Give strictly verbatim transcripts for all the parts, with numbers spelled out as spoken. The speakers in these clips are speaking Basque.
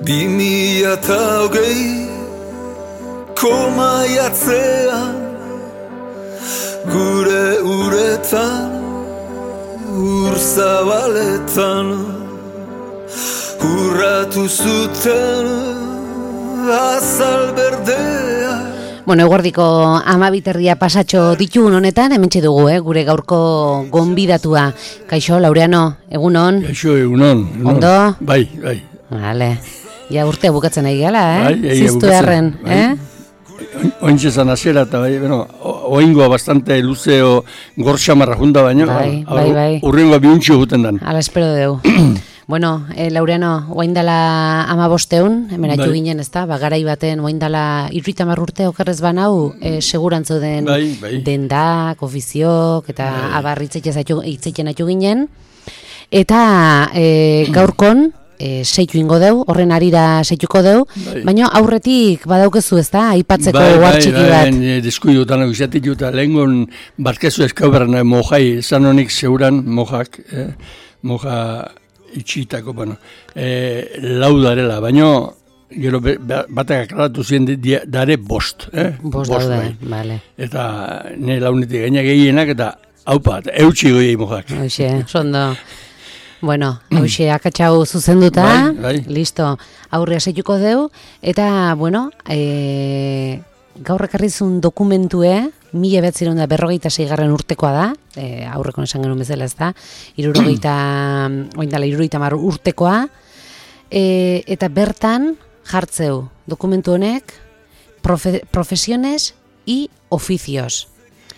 Bi mila eta hogei komaiatzean gure uretan ur zabaletan urratu zuten azal berdea. Bueno, eguerdiko amabiterria pasatxo ditugun honetan, hementxe dugu, eh, gure gaurko gonbidatua. Kaixo, Laureano, egunon? Kaixo, egunon. egunon. Ondo? Bai, bai. Vale. Ja urtea bukatzen ari gala, eh? Bai, egia Ziztu bukatzen. erren, Bai. eh? Ointxe zan azera eta bai, bueno, oingoa bastante luzeo gorxamarra junta baino. Bai, bai, bai. Urrengoa biuntxo guten dan. Ala espero deu. Bueno, eh, Laureano, oaindala ama bosteun, hemen atu Bai. ginen, ez da? Ba, garai baten, oaindala irritamar urte okerrez banau, eh, segurantzu den Bai, bai. dendak, ofiziok, eta Bai. abar hitzeiten atu ginen. Eta eh, gaurkon, e, seitu ingo deu, horren arira seituko deu, Bai. baina aurretik badaukezu, ez da, aipatzeko Bai, uhar bai, txiki bai, bat. bai, deskuidutan egizatik juta, lehengon barkezu eskauberan mojai, esan honik zeuran mojak, eh, moja itxitako, bueno, eh, lau darela, baina gero be- ba- batak aklaratu ziren di- di- dare bost, eh? Bost daude, bai. vale. Eta ne launetik gaina gehienak eta haupa, eta eutxi goiei mojak. Hoxe, sondo. Bueno, hoxe, akatxau zuzenduta, Bai, bai. listo, aurrea seituko deu, eta, bueno, e, gaur ekarrizun dokumentue, mila behatzireun da berrogeita zeigarren urtekoa da, e, aurreko esan genuen bezala ez da, irurogeita, oindala, irurogeita mar urtekoa, e, eta bertan jartzeu dokumentu honek profe, profesiones y oficios.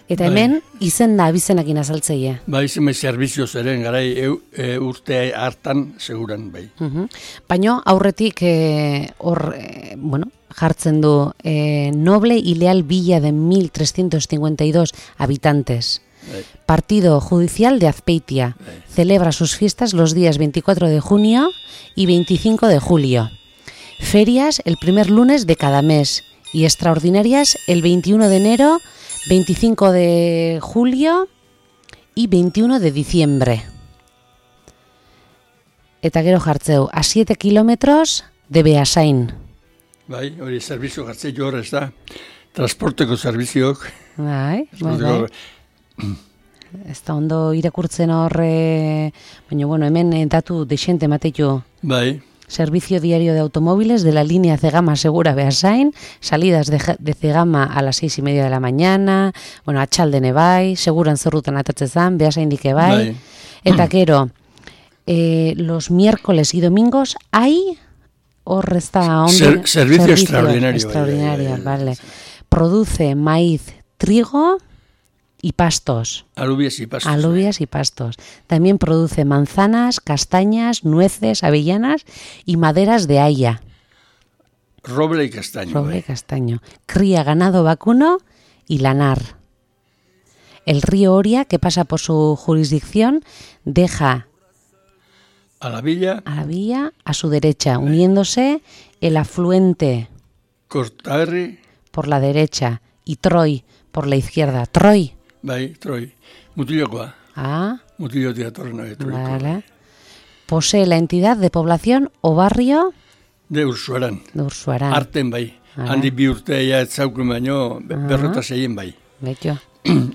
Eta Bai. hemen izen da abizenakin azaltzeia. Bai, zenbait zerbizio zeren, garai eu, e, urte hartan, seguran, bai. Uhum. Baina aurretik eh, hor, eh, bueno, jartzen du eh, noble y leal villa de mil trescientos cincuenta y dos habitantes. Bai. Partido judicial de Azpeitia. Bai. Celebra sus fiestas los días veinticuatro de junio y veinticinco de julio. Ferias el primer lunes de cada mes y extraordinarias el veintiuno de enero, veinticinco de julio y veintiuno de diciembre. Eta gero jartzeu, a siete kilómetros de Beasain. Bai, hori zerbizio jartzei hor, ez da, transporteko zerbizioak. Bai, bai, bai. Transporteko- Ez da ondo irakurtzen horre, baina bueno, hemen eh, datu desente mateitu. Bai, Servicio diario de automóviles de la línea Cegama Segura Beasain, salidas de, Ja- de Cegama a las seis y media de la mañana, bueno, atxaldene bai, seguran zerrutan atatzezan, Beasain dike bai, Bai. eta gero, eh, los miércoles y domingos hay, hor ez da ondo, Ser- servicio extraordinario, extraordinario, bai, bai, bai. vale. Produce maíz, trigo y pastos. alubias y pastos. Alubias y pastos. También produce manzanas, castañas, nueces, avellanas y maderas de haya. Roble y castaño. Roble y bai. castaño. Cría ganado vacuno y lanar. El río Oria, que pasa por su jurisdicción, deja A la villa, a la villa a su derecha, uniéndose el afluente Cortarri, por la derecha y Troy por la izquierda. Troy. bai, troi. Mutilokoa. Ah, Mutilotik atorren hori, troiko. vale. Posee la entidad de población o barrio De Ursuaran. de Ursuaran. Arten bai. Hala. Handi bi urte ja ez zaukun baino, be- berrota zeien bai. Betxo.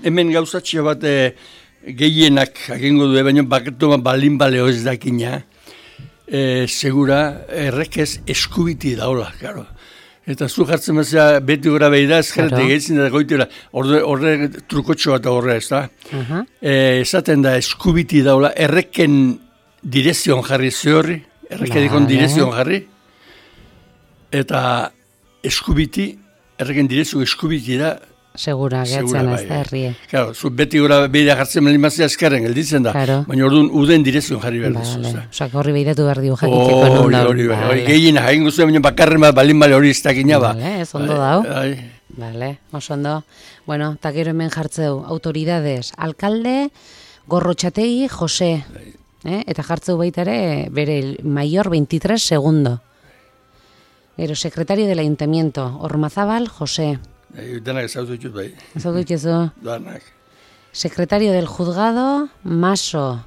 Hemen gauzatxo bat eh, gehienak agengo du, baina baketu balin baleo ez dakina, e, segura errekez eskubiti daola, claro. Eta zu jartzen bezala beti gora behi da, ezkarretik Claro. egiten da goitera, horre, horre trukotxo bat horre ez da. Aha. E, esaten da eskubiti daola, erreken direzioan jarri zehorri, errekedikon Vale. direzioan jarri, eta eskubiti, erreken direzio eskubiti da, Segura, Segura, gehatzen bai, ez da bai. herrie. Claro, zu beti gora beira jartzen melimazia eskarren gelditzen da, Claro. baina orduan uden direkzioan jarri behar duzu. Vale. ezta. Osa, horri behiratu behar dio jakiteko Hori, non daun. hori, hori, hori, Vale. gehien jaingo zuen, baina bakarren bat balin bale hori ez dakina ba. Vale, ez ondo Bai, dau. bai. Vale, oso ondo. Bueno, eta gero hemen jartzeu, autoridades, alcalde, Gorrotxategi, Jose. Eh? Eta jartzeu baita ere, bere mayor veintitrés segundo. Gero, secretario del ayuntamiento, Ormazabal, Jose. Bai, Danak ezautu ditut bai, Ez dut dituzu. danak. Secretario del juzgado, Maso,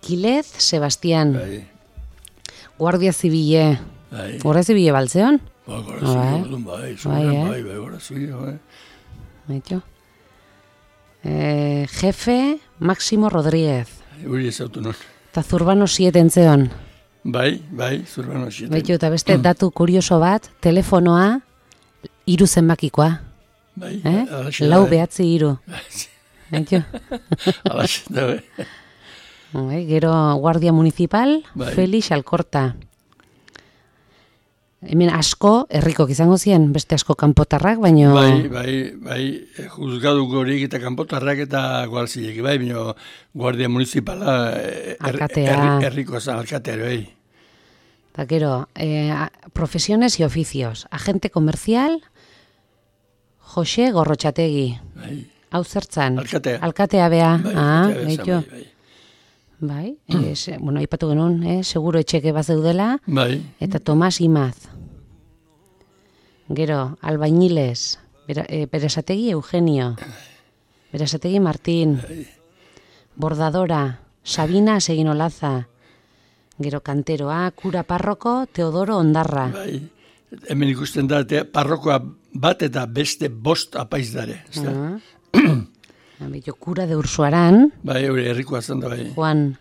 Quilez, Sebastián. Bai. Guardia Civile, Bai. Horrez ibile baltzeon? Ba, gora zibile, orduan, bai, zuberen, eh? bai, bai, gora zibile, bai. Baito. Eh, jefe Máximo Rodríguez. Hori ez autu non. Eta Zurbano siete entzeon. Bai, bai, Zurbano siete. Baito, eta beste datu kurioso bat, telefonoa hiru zenbakikoa. Bai, Eh? alaxe da, Lau bai. behatzi hiru. Baito. Alaxe da, bai. Bai, gero Guardia Municipal, Bai. Felix Alkorta. Hemen asko, herrikok izango ziren, beste asko kanpotarrak, baino... Bai, bai, bai, eh, juzgaduko horiek eta kanpotarrak eta gualzilek, bai, baina Guardia Municipala eh, er- Alkatea. herri- herriko zan alkatea, bai. Eta gero, eh, a- profesiones y oficios. Agente comercial, Jose Gorrotxategi. Bai, Hau zertzan? Alkatea. Alkatea bea. bai, ah, alkatea bezan, baito. bai, Bai, eh, se, bueno, aipatu genuen, eh, seguro etxeke bazeudela. bai. Eta Tomas Imaz. Gero, Albañiles, Bera, eh, Beresategi Eugenio, Beresategi Martín, Bordadora, Sabina Seginolaza, gero Kanteroa, Kura Parroko, Teodoro Ondarra. Bai, hemen ikusten da, te, parrokoa bat eta beste bost apaiz dare, ez da? Beto, Kura de Ursuaran, Bai, hori herrikoa zen da, bai. Juan,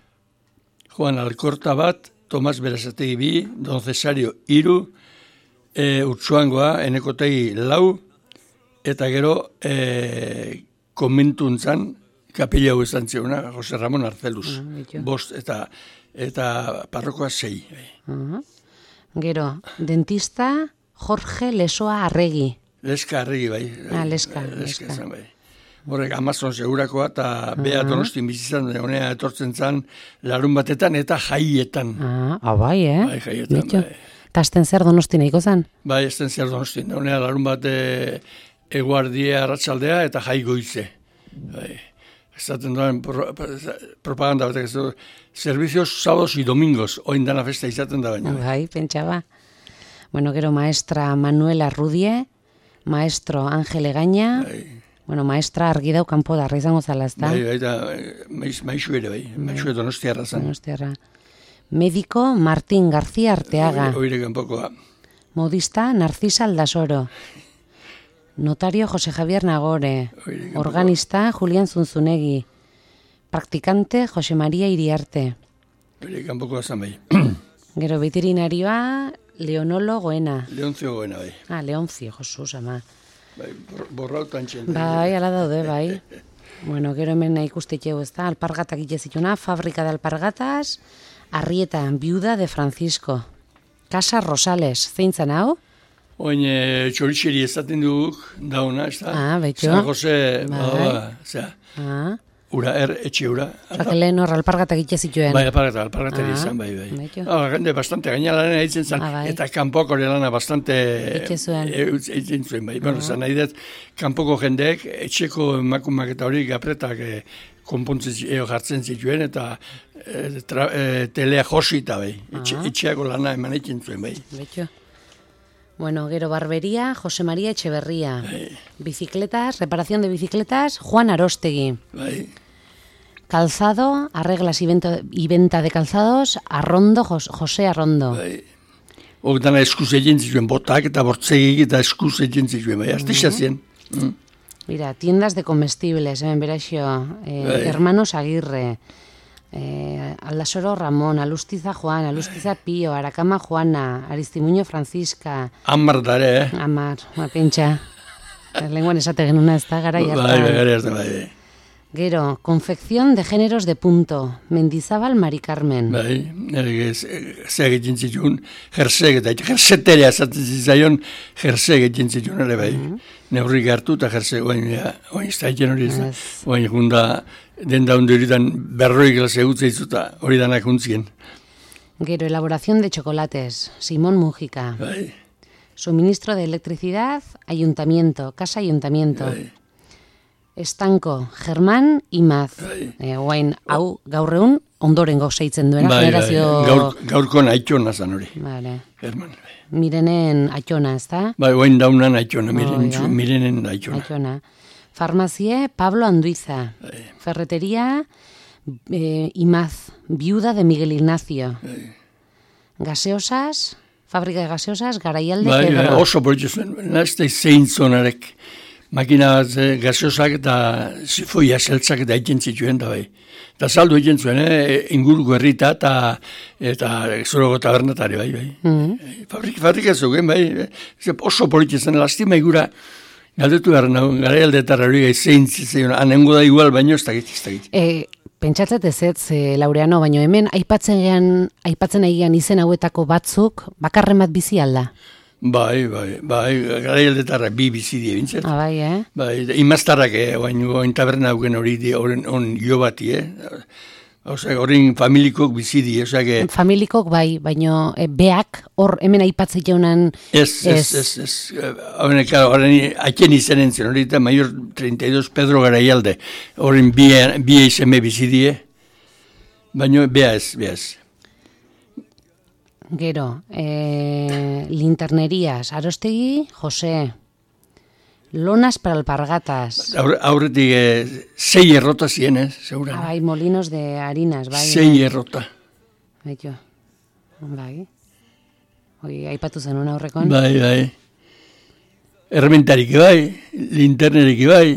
Juan Alkorta bat, Tomas Berazategi bi, Don Cesario iru, e, Urtsuangoa, Enekotegi lau, eta gero e, komentuntzan, kapila hau izan ziona, Jose Ramon Arzeluz. Ah, beto. Bost eta eta parrokoa sei. Bai. uh, gero, Dentista Jorge Lesoa Arregi. Leska arregi, bai. Ah, Leska, Leska. Leska. Zen, bai. Horrek Amazon segurakoa eta bea Donostin bizizan honea etortzen zan larun batetan eta jaietan. Ah, ah, bai, eh? Bai, jaietan, Beto. bai. Tasten zer Donosti nahiko zan? Bai, ez den zer Donostin. Honea larun bate eguardia arratsaldea eta jai goize. Bai. Ezaten duen pro, propaganda batek ez du. Servicios sábados y domingos, oin dana festa izaten da baina. Bai, pentsaba. Bueno, gero maestra Manuela Rudie, maestro Ángel Egaña, Bai, bueno, maestra argi dau kanpo darra izango zala, ezta? bai, bai, eta eh, maiz, maizu ere, bai. Maizu Donostiarra zan. Donostiarra. Médico Martín García Arteaga, Oire kanpokoa. modista Narcisa Aldasoro, notario José Javier Nagore, Oire kanpokoa. organista Julián Zunzunegi, practicante José María Iriarte, Oire kanpokoa zan, bai. gero veterinarioa Leonolo Goena. Leonzio goena, bai. Ah, Leoncio, Jesus, ama. Bai, bor- borrautan txen. Bai, ala daude, bai. Bueno, gero hemen ikustitxeu, ez da, alpargatak itezituna, fabrika de alpargatas, Arrieta, viuda de Francisco. Casa Rosales, zeintzan hau? Oin e, txoritxeri ezaten duguk, dauna, ez da? Ah, baitu. San Jose, Bai. bada, zera, Ah, ura, er, etxe ura. osak lehen hor alpargatak itezituen. Bai, alpargata, alpargatari Ah, izan, bai, bai. baitu. Ah, jende bastante, gaina lana eitzen zan, Ah, bai. eta kanpoko lana bastante Itxe zuen. e, utz- eitzen zuen, bai. Bueno, zan nahi dut, kanpoko jendeek, etxeko emakumak eta hori gapretak e, konpontzen zi- eo jartzen zituen, eta e, tra, e, telea josita, bai. Etxe, Ah. etxeako lana eman eitzen zuen, bai. Baitu. Bueno, gero barbería, José María Echeverría. Bicicletas, reparación de bicicletas, Juan Arostegui. Bai. Calzado, arreglas y venta, y venta de calzados, Arrondo, Jos- José Arrondo. Bai. Hok dana eskuz egin zituen, botak eta bortzegik eta eskuz egin zituen, bai. Aztisa zien. Mm. Mira, tiendas de comestibles, hemen beraxo, eh, Bai. Hermanos Aguirre, eh, Aldasoro Ramón, Alustiza Juan, Alustiza Pío, Aracama Juana, Aristimuño Francisca, Hamar dare, eh? Amar, ma pentsa, lenguan esate genuna ez da, gara Bai, bai, jartan. gara hartan, bai, bai. Gero, confección de géneros de punto, Mendizábal Mari Carmen. Bai, nire ze egiten zituen, jersek eta jerseterea esaten zitzaion, jersek egiten zituen ere bai. Neurrik hartu eta jersek, oain, ja, oain ez da egiten hori ez da. Ez. Oain junda, den da hundu horitan berroi klase gutze izuta, hori danak huntzien. Gero, elaboración de chocolates, Simón Mújica. Bai, Suministro de electricidad, ayuntamiento, casa ayuntamiento. bai, Estanko, Germán Imaz. Bai. E, guain, hau gaur egun ondorengo seitzen duena. bai, bai, generazio... gaur, gaurko naitxona zan hori. Vale. German, bai. Mirenen atxona, ez da? Bai, oain dauna naitxona, Oh, miren, ja. mirenen naitxona. Atxona. Farmazie, Pablo Anduiza. Bai. Ferretería, eh, Imaz, viuda de Miguel Ignacio. Bai. Gaseosas, fabrika de gaseosas, garaialde, bai, Pedro. bai, oso politxe zuen, nazte zein zonarek, makina bat eh, gaseosak eta zifoia seltzak eta egin zituen da bai. Eta saldu egin zuen, eh, inguruko herrita eta eta zoroko tabernatari bai, bai. Mm. Fabrik, fabrika zuen, bai, eh, oso politxe zen, lastima igura, galdetu behar nagoen, garaialde eta hori gai zein zitzen, anengo da igual, baino ez dakit, ez dakit. E, pentsatzet ez ez, e, Laureano, baino hemen aipatzen gean, aipatzen egian izen hauetako batzuk, bakarren bat bizi alda. Bai, bai, bai, garaialdetarra bi bizi die bintzat. Ah, bai, eh? Bai, imaztarrak, eh, oain, oain taberna hauken hori di, oren, on jo bati, eh? Osea, horren familikok bizi die, osea, que... Familikok bai, baino e, beak, hor hemen aipatzen jaunan... Ez, ez, ez, ez, horren, claro, horren aiken izanen zen, hori eta Maior treinta y dos Pedro Garaialde, horren bi, bi izeme bizi die, baino bea ez, bea ez. Gero, e, Linternerías, Arostegi, José, Lonas para alpargatas. Aur, aurretik eh, sei errota zien, ez, seguran. Ah, bai, molinos de harinas, bai. Sei bai. errota. Baito, bai. Hoi, aipatu zenun aurrekon. Bai, bai. Errementarik bai, linternerik bai.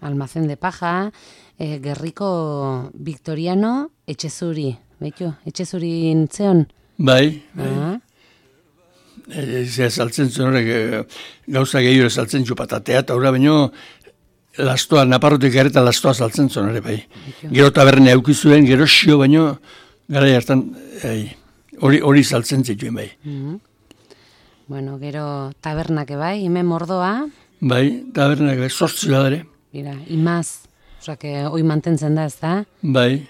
Almacén de paja, e, Gerriko Victoriano, Etxezuri. Baito, Etxezuri intzeon. Bai, bai. Ah. Zea saltzen zuen horrek, e, gauza gehiore saltzen zu patatea, eta horra baino, lastoa, naparrotik gareta lastoa saltzen zuen horre, bai. Gero taberne aukizuen, gero xio baino, gara hartan, hori hori saltzen zituen, bai. Mm-hmm. Bueno, gero tabernake bai, hemen mordoa. Bai, tabernak bai, sortzi badare. Mira, imaz, osea, que hoi mantentzen da, ez da? Bai.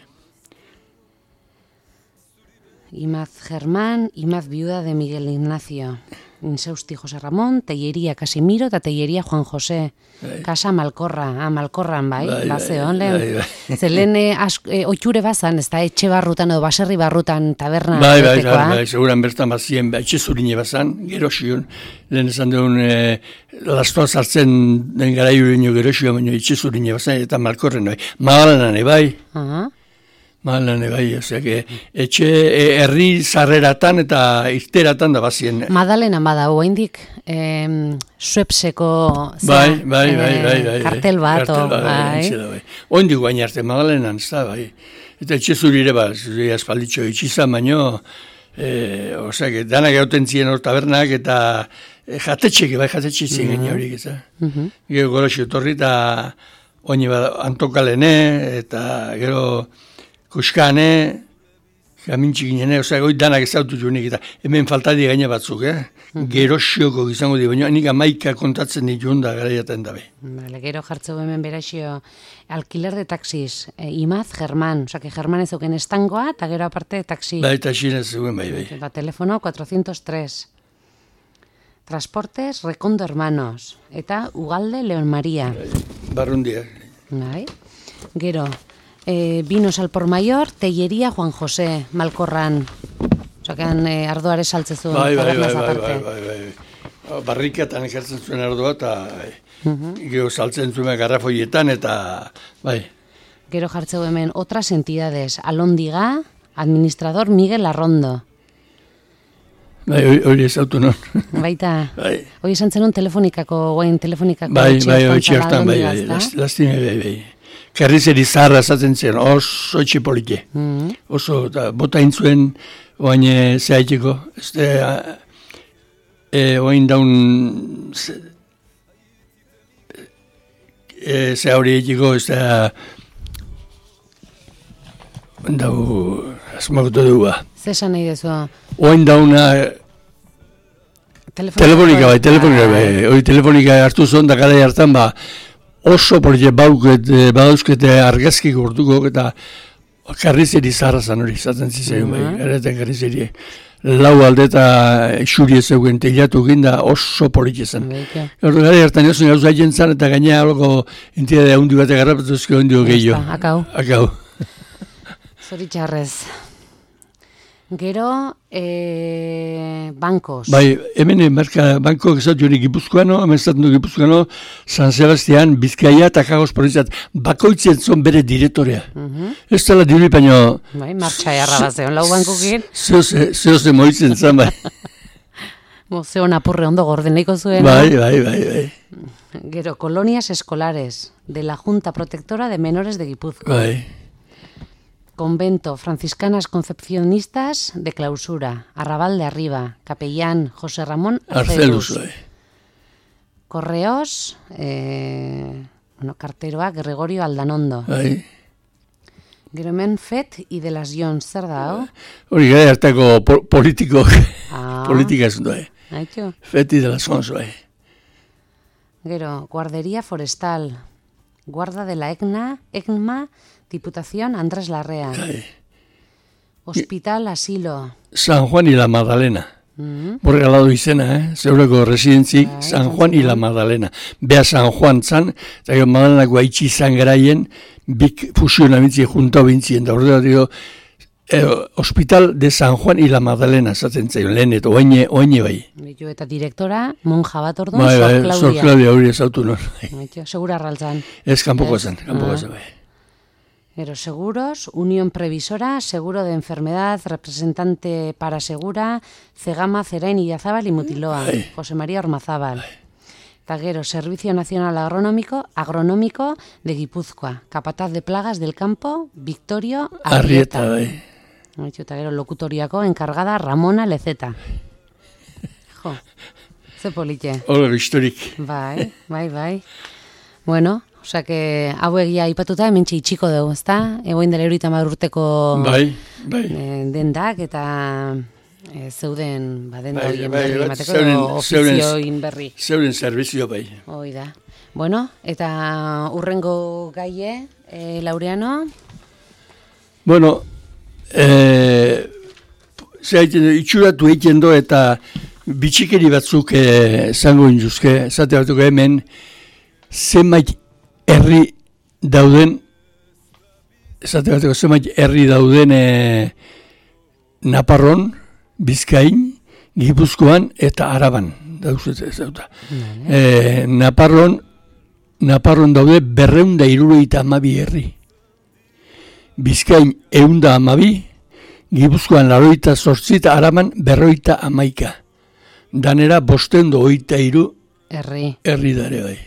Imaz Germán, Imaz viuda de Miguel Ignacio, Inseusti José Ramón, Tellería Casimiro eta Tellería Juan José. Bai. Casa Malkorra, ah, Malkorran, bai, Bai, bazeon, bai, lehen. bai, bai. Ze lehen eh, ask- eh, oitxure bazan, ez da, etxe barrutan edo baserri barrutan taberna Bai, bai, betekoa. bai, bai, seguran bertan bazien, bai, etxezurine bazan, gero xion, lehen esan duen, e, lastoa sartzen den gara jureño gero xio, baina etxezurine bazan, eta malkorren, bai. Magalanan, bai. Aha. Malan, bai, osea, que etxe e, herri sarreratan eta irteratan da bazien. Madalena bada, oraindik em, Suepseko zera, Bai, bai, bai, eh, bai, bai. kartel bat, Kartel o, bat, bai. entxe da, bai. Oindik guain arte, Magdalenan, ez da, bai. Eta etxe zurire, ba, zuri aspalditxo itxizan, baino, e, osea, que danak gauten ziren hor tabernak, eta e, jatetxek, bai, jatetxek ziren gaine horiek, ez da. Mhm. Gero goroxio torri, eta oini bat antokalene, eta gero kuskane, jamintxik ginene, osea, goi danak ezautu junik, eta hemen faltadi gaine batzuk, eh? Gero xioko izango di, baina nik amaika kontatzen ditun da garaiaten dabe. Vale, gero jartzeu hemen beraxio alquiler de taxis, e, Imaz Germán, osea, que Germán ez euken estangoa, eta gero aparte taxi. Bai, eta xinez zuen, bai, bai. Ba, telefono cuatrocientos tres. Transportes Recondo Hermanos, eta Ugalde Leon María. Barrundia. Bai. Gero, eh, Vinos al por mayor, Tellería Juan José, Malkorran. Osea, que eh, ardoare saltzezu. Bai, bai, bai, tabernaz bai, aparte. bai, bai, bai. Barrikatan ekartzen zuen ardoa, eta Mhm. gero saltzen zuen garrafoietan, eta bai. Gero jartzeu hemen otras entidades, Alondiga, administrador Miguel Arrondo. Bai, hori- hori ez autu non. Baita, Bai, hoi esan zenun telefonikako, guain telefonikako bai, etxe bai, hortan hori zala txertan, bai, Alondiga, bai, ezta? last- lastime, bai, bai. Karrizeri zaharra esaten zen, oso etxipolike. Mhm. Oso, eta bota intzuen, oain e, zehaiteko, ez da, e, oain daun, ze, e, ze hori egiteko, ez da, dau, asmakutu dugu, ba. Zesan nahi dezu? Oain dauna, telefonika bai, telefonika bai, hori telefonika hartu zuen, da gara hartan, ba, oso polite bauket, eh, badauzkete argazki gortuko, eta karrizeri zaharra zan hori, zaten zizeun, bai, Mhm. ereten karrizeri. Lau alde eta xuri ez eugen teilatu ginda oso polite zen. Baita. Hortu gara hartan ezun gauza egin zan, eta gaina algo entidade handi bat egarrapetuzko ondio gehiago. Akau. Akau. Zoritxarrez. Gero, e, bankos. Bai, hemen marka banko ezatu hori Gipuzkoano, hemen ezatu du Gipuzkoano, San Sebastian, Bizkaia eta Kagos provinziat, bakoitzen zon bere diretorea. Uh-huh. Ez dela diri, baina... Bai, martxa jarra bat zeon, lau bankokin. Zeoze moitzen zan, bai. Bo, zeon apurre ondo gordeneiko zuen. Bai, bai, bai, bai. Gero, colonias escolares de la Junta Protectora de Menores de Gipuzkoa. Bai. Convento Franciscanas Concepcionistas de Clausura, Arrabal de Arriba, Capellán José Ramón Arcelus. Arcelus, Correos, eh, bueno, carteroak Gregorio Aldanondo. Bai. Gero hemen Fet y de las Jons, zer da, ho? Hori gara hartako po politiko, Ah. politika ez du, eh. Haitxo. Fet y de las Jons, bai. Gero, Guardería Forestal, Guarda de la Egna, Egma, Diputación Andrés Larrea. Bai. Hospital Asilo. San Juan y la Magdalena. Mm-hmm. Borre galadu izena, eh? Zeureko residentzik, Bai, San Juan y la Magdalena. Bea San Juan zan, eta gero Magdalenako haitxi izan garaien, bik fusiona bintzi, junta bintzien, da horrela dio, eh, Hospital de San Juan y la Magdalena, zaten zaio, lehen, eta oaine, oaine bai. Bitu eta direktora, monja bat orduan, Bai, Sor bai, Claudia. Sor Claudia hori ezautu non. Haitxo, segura arraltzan. Ez, kanpoko Ez? zen, kanpoko Ah. zen, bai. Gero, seguros, Unión Previsora, Seguro de Enfermedad, Representante para Segura, Cegama, Zerain, Illazabal y Mutiloa, Bai. José María Ormazábal. Eta gero, Servicio Nacional Agronómico, Agronómico de Guipúzcoa, Capataz de Plagas del Campo, Victorio Arrieta, Arrieta. bai. Haitxo, eta gero, lokutoriako enkargada Ramona Lezeta. Jo, ze polite. Hor, historik. Bai, bai, bai. Bueno, osea, que hau egia aipatuta hemen itxiko dugu, ezta? Egoin dela hirurogeita hamar urteko Bai, bai. eh, dendak eta eh, zeuden ba, denda Bai, horien bai, berri bai, emateko zeuren- edo ofizioin berri. Zeuren servizio bai. Hoi da. Bueno, eta urrengo gaie, eh, Laureano? Bueno, eh, ze haiten du, itxuratu egiten do eta bitxikeri batzuk eh, zango induzke, zate batuko hemen, zenbait herri dauden, zate batuko zenbait herri dauden eh, Naparron, Bizkain, Gipuzkoan eta Araban. Dauzet ez dauta. Eh, Naparron, Naparron daude berreunda hirurogeita hamabi herri. Bizkain eunda hamabi, Gipuzkoan laroita zortzi eta Araban berroita hamaika. Danera bostendo oita hiru Herri. herri dare bai.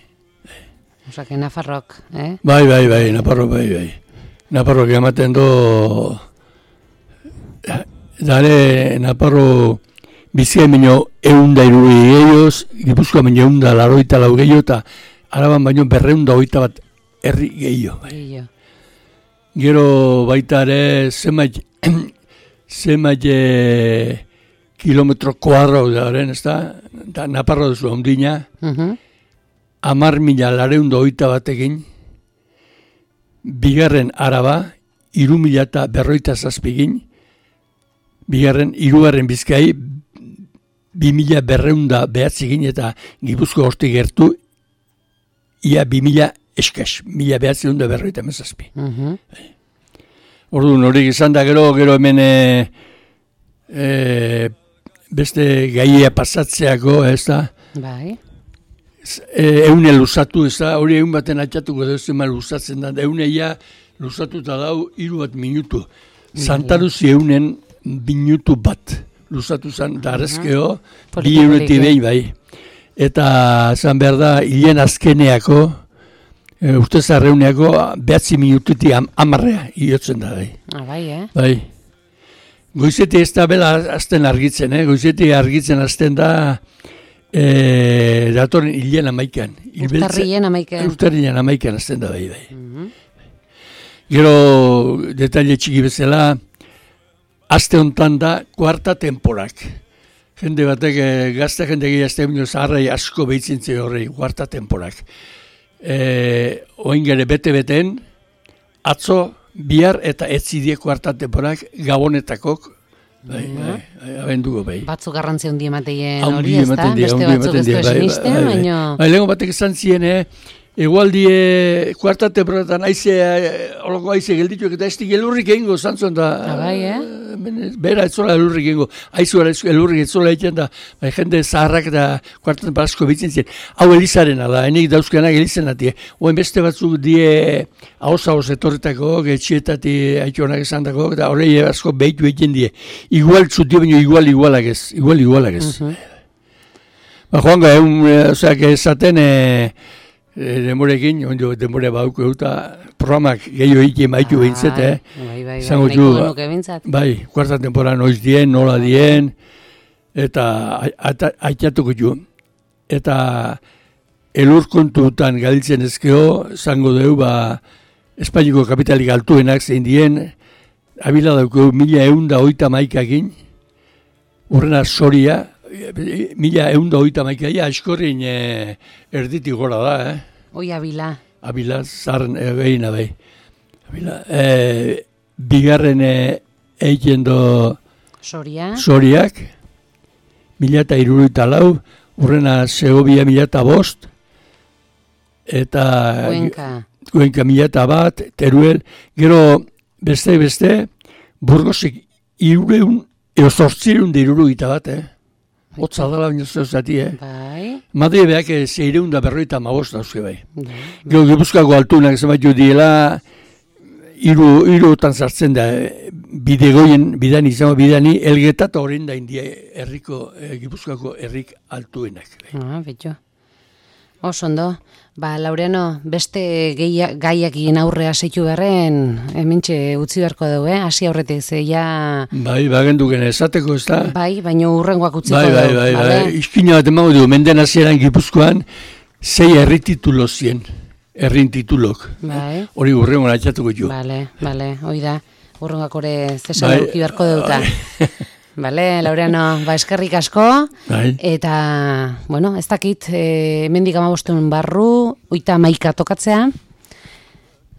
Osea, que Nafarrok, eh? Bai, bai, bai, Naparro bai, bai. Naparro ematen do... Dare, Naparro Bizkain baino eunda hiru gehiagoz, Gipuzkoan baino eunda laroita lau gehiago eta Araban baino berreunda oita bat herri gehiago. Bai. Gehiago. Gero baita ere zenbait zenbait e, kilometro kuadro daren, ez da? Da, Naparro duzu ondina, Mhm. amar mila lareunda oita batekin, bigarren Araba, iru mila eta berroita zazpigin, bigarren, irugarren Bizkai, bi mila berreunda behatzigin eta Gipuzko horti gertu, ia bi mila eskas, mila behatzeunda berroita mezazpi. Mhm. Orduan horiek izan da gero, gero hemen e, e, beste gaia pasatzeako, ez da, Bai. e, eune luzatu, ez da, hori egun baten atxatuko da, zema luzatzen da, euneia luzatuta dau hiru bat minutu. Santaruzi eunen minutu bat luzatu zen, da arrezkeo, bi eureti behin bai. Eta zan behar da, hilen azkeneako, e, uste zarreuneako, behatzi minututi am, amarrea, iotzen da bai. Ah, bai, eh? Bai. Goizeti ez da bela azten argitzen, eh? Goizeti argitzen azten da e, datorren hilen amaikan. Urtarrien amaiken. Urtarrien amaikan azten da bai, bai. Mhm. Gero, detaile txiki bezala, aste hontan da kuarta temporak. Jende batek, e, gazte jende gehiazte bineo zaharrai asko behitzintze horrei, kuarta temporak. E, oin gere bete-beten, atzo, bihar eta etzidie kuarta temporak gabonetakok, bai, bai, bai, abenduko bai. Batzuk garrantzi handi emateien Handi hori, ez da? ematen die, Beste handi batzuk ematen ez die, du bai, esinisten, bai, bai. baina... Bai, lehenko batek esan zien, eh? Egualdie kuarta temporatan aize, oloko aize geldituak eta ez di gelurrik egingo zantzuen da. Ah, bai, eh? bera ez zola elurrik ingo, aizu elurrik ez zola egiten da, bai, jende zaharrak da kuartan parasko bitzen ziren. Hau elizarena da, enik dauzkenak elizena die. Oen beste batzuk die haus-haus etorretako, getxietati aitonak esan dako, eta horrei asko behitu egiten die. Igual txuti baino igual igualak ez, igual igualak ez. Uh-huh. Ba, joango, egun, ozeak esaten, e, E, demorekin, ondo demore bauko eta programak gehiago egin maitu ah, behintzet, eh? Bai, bai, bai, nahiko genuke behintzat. Bai, kuarta temporan noiz dien, nola dien, eta aitatuko jo. Eta elur kontutan galditzen ezkeo, zango dugu, ba, Espainiko kapitalik altuenak zein dien, abila dauko mila eunda oita maikakin, urrena soria, mila eunda oita maikaia, askorrin eh, erditik gora da, eh? Oi, abila. Abila, zarren egin abai. Abila, eh, bigarren egin do Soria. Soriak, mila eta iruruita lau, urrena Segovia mila eta bost, eta Guenka. Guenka mila eta bat, Teruel, gero beste-beste, Burgosik irureun, eo zortzireun da iruruita bat, eh? Hotza dala baino zehuzati, eh? Bai. Madre beak zeireun da berroita mabost dauzke bai. Bai. Gero Gipuzkoako altunak zematu diela, iru, irutan sartzen da, bidegoien, bidani, izango bidani, elgeta eta horrein da india herriko, eh, Gipuzkoako herrik altuenak. Bai. Ah, betxo. Oso ondo. Ba, Laureano, beste geia, gaiak egin aurrea seitu beharren, hementxe utzi beharko dugu, eh? Hasi aurretik, ze ja... Bai, bagenduken esateko, ez da? Bai, baina urrengoak utziko bai, bai, dugu. Bai, bai, Vale? bai. Iskina bat emango dugu, menden hasieran Gipuzkoan, zei herri titulo zien, herrin titulok. Bai. Hori urrengo natxatuko jo. Bale, bale, hoi da. Urrengoak ore zesan bai, eduki beharko dugu. Bai. Bale, Laureano, ba eskerrik asko, bai. Eta, bueno, ez dakit, e, mendik amabostuen barru, oita maika tokatzea,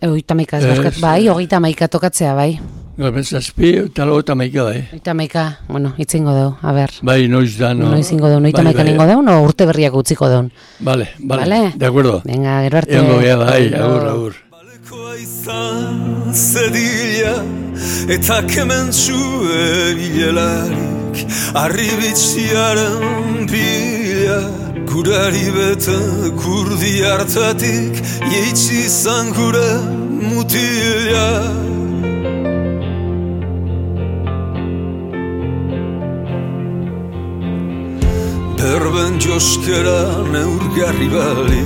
e, oita maika, ez barkat, bai, oita maika tokatzea, bai. Gorben zazpi, eta lo oita maika, bai. Oita maika, bueno, itzingo dugu, a ber. Bai, noiz da, no. Noiz ingo dugu, oita bai, maika bai, nengo dugu, no urte berriak utziko dugu. Bale, bale, Vale? de acuerdo. Venga, gero arte. Egongo gea, bai, agur, agur. Balekoa izan zedila eta kementsu ebilelarik arribitziaren pila gurari bete kurdi hartatik jeitsi izan gure mutila. Berben joskera neurgarri bali